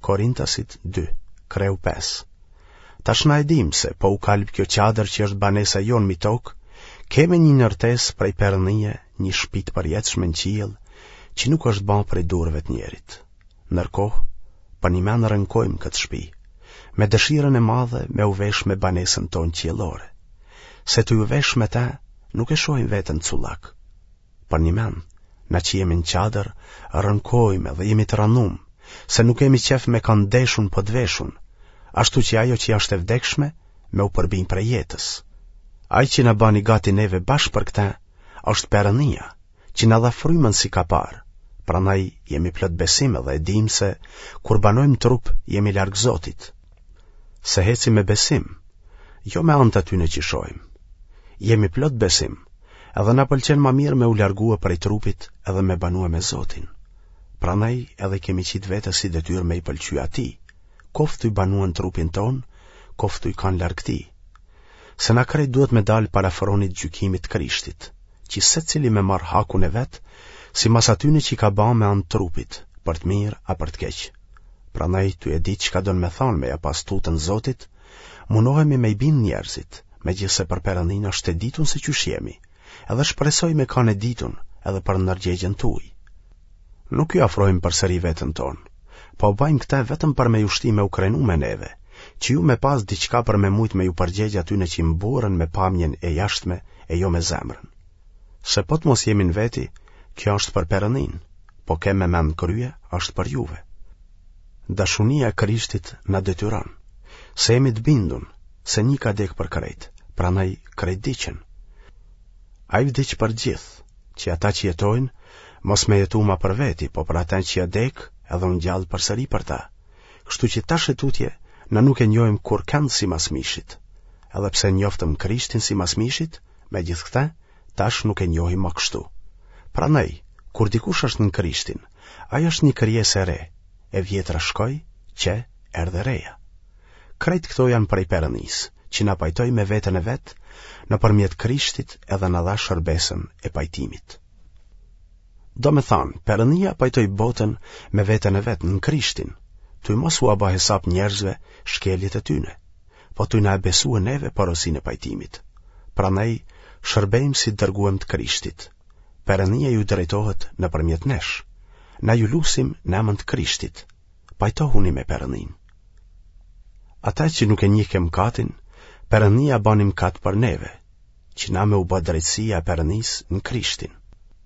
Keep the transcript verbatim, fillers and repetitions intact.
Korintasit dy, kreu pesë. Tash na e dimë se po u kalb kjo çadër që është banesa jonë mi tokë, kemi një ndërtesë prej Perëndie, një shpi të përjetshme në qiell, që nuk është ba prej durve të njerit. Ndërkohë, përnjëmend rënkojmë këtë shpi, me dëshirën e madhe me u vesh me banesën tonë qiellore. Se tu u vesh me te, nuk e shohim veten cullak. Përnjëmend, na që jemi në çadër, rënkojmë dhe jemi të ranum, se nuk kemi qef me kanë deshun po të veshun, ashtu që ajo që është e vdekshme, me u përbi prej jetës. Ai që na bani gati neve bash për këtë, është Perëndia, që na dha frymën si kapar. Prandaj jemi plot besim edhe e dim se kur banojmë trup jemi larg Zotit. Se hecim me besim, jo me anë të atyne që shohim. Jemi plot besim, edhe na pëlqen ma mirë me u largue prej trupit edhe me banue me Zotin. Prandaj edhe kemi qitë vete si detyrë me i pëlqy atij, koftë tuj banue në trupin tonë, koftë tuj kanë larg tij. Se na krejt duhet me dalë para fronit gjykimit të Krishtit, që secili me marrë hakun e vet, simas atyne që i ka ba me anë trupit, për të mirë a për të keq. Prandaj tuj e ditë çka don me thanë me ja pas tutën Zotit, munohemi me i bind njerëzit, megjithëse për Perëndin është e ditun se qysh jemi, edhe shpresoj me kanë e ditun edhe për ndërgjegjen tuaj. Nuk ju afrojmë përsëri veten tonë, po bëjmë këtë vetëm për me ju shti me u krenu me neve, që ju me pas diçka për me mujt me ju përgjegj atyne që mburren me pamjen e jashtme e jo me zemrën. Se po të mos jemi në veti, kjo është për Perëndin, po kem me mend krye, është për juve. Dashunia e Krishtit na detyron, se jemi të bindun, se një ka dek për krejt, prandaj krejt vdiqën. Ai vdiq për gjithë, që ata që jetojnë, mos me jetu ma për veti, po për ata që ja dek, edhe u ngjall përsëri për ta. Kështu që tash e tutje, na nuk e njohim kurrkënd simas mishit. Edhe pse njoftëm Krishtin simas mishit, megjithëkëtë, tash nuk e njohim ma kështu. Prandaj, kur dikush është në Krishtin, ai është një krijesë e re, e vjetra shkoi, qe erdhi e reja. Krejt këto janë prej Perëndisë, që na pajtoi me veten e vet, nëpërmjet Krishtit edhe na dha shërbesën e pajtimit. Do me thanë, Perëndia pajtoi botën me veten e vet në Krishtin, tuj mos ua ba hesap njerëzve shkeljet e tyne, po tuj na e besue neve porosinë e pajtimit. Prandaj, shërbejmë si të dërguem të Krishtit. Perëndia ju drejtohet nëpërmjet nesh. Na ju lusim në emër të Krishtit. Pajtohuni me Perëndin. Ata që nuk e njihke mëkatin, Perëndia bani mëkat për neve, që na me u bë drejtësia e Perëndisë në Krishtin.